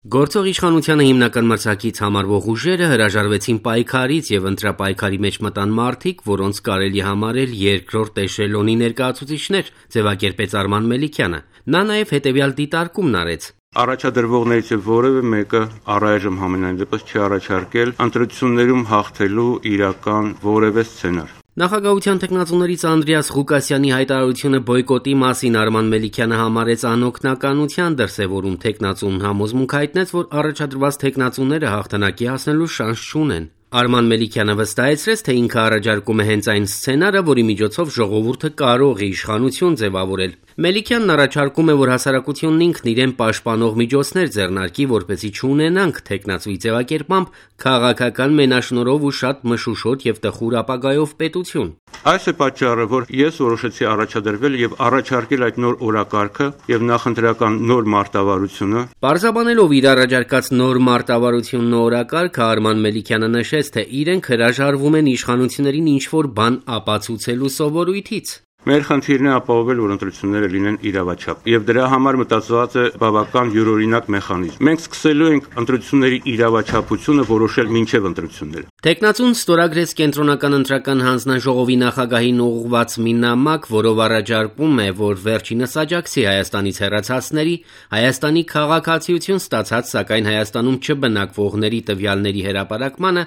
Գործող իշխանությանը հիմնական մրցակից համարվող ուժերը հրաժարվեցին պայքարից եւ ընտրապայքարի մեջ մտան մարդիկ, որոնց կարելի համարել երկրորդ էշելոնի ներկայացուցիչներ, ձևակերպեց Արման Մելիքյանը։ Նա նաեւ հետեւյալ դիտարկումն արեց. Առաջադրվողներից որևէ մեկը առայժմ համենայն դեպս չի առաջարկել ընտրություններում հաղթելու իրական որևէ սցենար։ Նախագահության տեխնացուներից Անդրեաս Ղուկասյանի հայտարարությունը բոյկոտի մասին Արման Մելիքյանը համարեց անօգնականության դրսևորում։ Տեխնացուն համոզմունք հայտնեց, որ առաջադրված տեխնացուները հաղթանակի հասնելու շանս չունեն։ Արման Մելիքյանը վստահեցրեց, թե ինքը առաջարկում է հենց այն սցենարը, որի միջոցով ժողովուրդը կարող է իշխանություն ձևավորել։ Մելիքյանն առաջարկում է, որ հասարակությունն ինքն իրեն պաշտպանող միջոցներ ձեռնարկի, որպեսզի չունենանք տեխնացուի ձևակերպմամբ քաղաքական մենաշնորհով ու շատ մշուշոտ եւ տխուր ապագայով պետություն։ Այս է պատճառը, որ ես որոշեցի առաջադրվել եւ առաջարկել այդ նոր օրակարգը եւ նախընտրական նոր մարտավարությունը։ Պարզաբանելով իր առաջարկած նոր մարտավարությունն ու օրակարգը, Արման Մելիքյանը նշեց, թե իրենք հրաժարվում են իշխանություններին ինչ-որ բան ապացուցելու սովորույթից։ Մեր խնդիրն է ապահովել, որ ընտրությունները լինեն իրավաչափ, եւ դրա համար մտածված է բավական յուրօրինակ մեխանիզմ։ Մենք սկսելու ենք ընտրությունների իրավաչափությունը որոշել մինչեւ ընտրությունները։ Տեխնացուն ստորագրեց կենտրոնական ընտրական հանձնաժողովի նախագահին ուղղված մի նամակ, որով առաջարկում է, որ վերջինս աջակցի Հայաստանից հեռացածների, Հայաստանի քաղաքացիություն ստացած, սակայն Հայաստանում չբնակվողների տվյալների հրապարակմանը,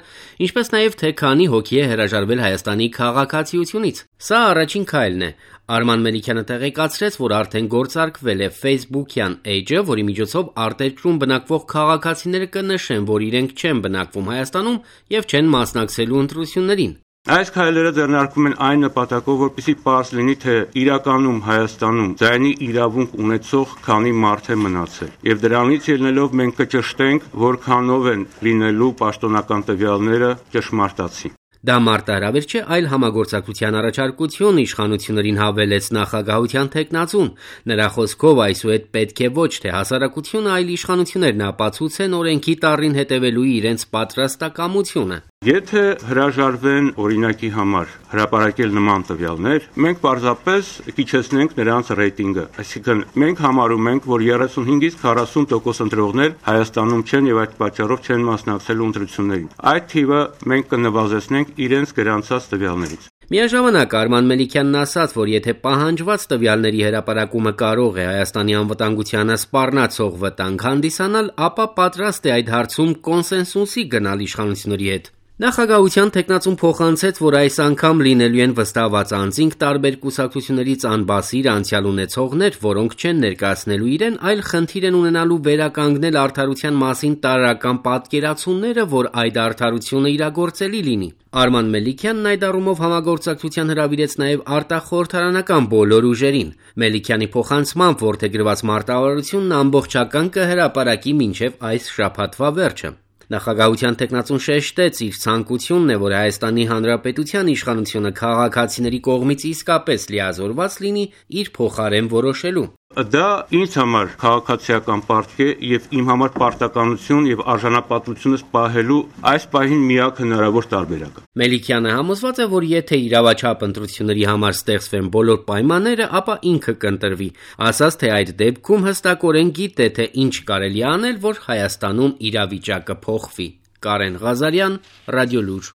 ինչպես նաեւ թե քանի հոգի է հրաժարվել Հայաստանի քաղաքացիությունից։ Սա առաջին քայլն է։ Արման Մելիքյանը տեղեկացրեց, որ արդեն գործարկվել է Facebook-յան էջը, որի միջոցով արտերկրում բնակվող քաղաքացիները կնշեն, որ իրենք չեն բնակվում Հայաստանում եւ չեն մասնակցելու ընտրություններին։ Այս քայլերը ձեռնարկվում են այն նպատակով, որպեսզի պարզ լինի, թե իրականում Հայաստանում ձայնի իրավունք ունեցող քանի մարդ է մնացել։ Եվ դրանից ելնելով մենք կճշտենք, որքանով են լինելու պաշտոնական տվյալները ճշմարտացի։ Դա մարտահրավեր չէ, այլ համագործակցության առաջարկություն, իշխանություններին հավելեց նախագահության տեխնացուն։ Նրա խոսքով այսուհետ պետք է ոչ թե հասարակությունը, այլ իշխանություններն ապացուցեն օրենքի տառին հետևելու իրենց պատրաստակամությունը։ Եթե հրաժարվեն օրինակի համար հրապարակել նման տվյալներ, մենք պարզապես կիչեցնենք նրանց ռեյտինգը։ Այսինքն մենք համարում ենք, որ 35-ից 40% ընտրողներ Հայաստանում չեն եւ այդ պատճառով չեն մասնակցելու ընտրություններին։ Այդ թիվը մենք կնվազեցնենք իրենց գրանցած տվյալներից։ Միաժամանակ Արման Մելիքյանն ասաց, որ եթե պահանջված տվյալների հրապարակումը կարող է Հայաստանի անվտանգությանը սպառնացող վտանգ հանդիսանալ, ապա պատրաստ է այդ հարցում կոնսենսուսի գնալ իշխանությունների հետ։ Նախագահության տեխնացուն փոխանցեց, որ այս անգամ լինելու են վստահված անձինք տարբեր կուսակցություններից անբասիր անցյալ ունեցողներ, որոնք չեն ներկայացնելու իրեն, այլ խնդիր են ունենալու վերականգնել արդարության մասին տարրական պատկերացումները, որ այդ արդարությունը իրագործելի լինի։ Արման Մելիքյանն այդ առումով համագործակցության հրավիրեց նաև արտախորհրդարանական բոլոր ուժերին։ Մելիքյանի փոխանցմամբ որդեգրված մարտավարությունն ամբողջական կհրապարակի մինչև այս շաբաթվա վերջը։ Նախագահության տեխնացուն շեշտեց իր ցանկությունն է, որ Հայաստանի Հանրապետության իշխանությունը քաղաքացիների կողմից իսկապես լիազորված լինի իր փոխարեն որոշելու։ Դա ինձ համար քաղաքացիական պարտք է եւ իմ համար պարտականություն եւ արժանապատվությունս պահելու այս պահին միակ հնարավոր տարբերակը։ Մելիքյանը համոզված է, որ եթե իրավաչափ ընտրությունների համար ստեղծվեն բոլոր պայմանները, ապա ինքը կընտրվի, ասաց, թե այդ դեպքում հստակորեն գիտե, թե ինչ կարելի անել, որ Հայաստանում իրավիճակը փոխվի։ Կարեն Ղազարյան, Ռադիոլուր։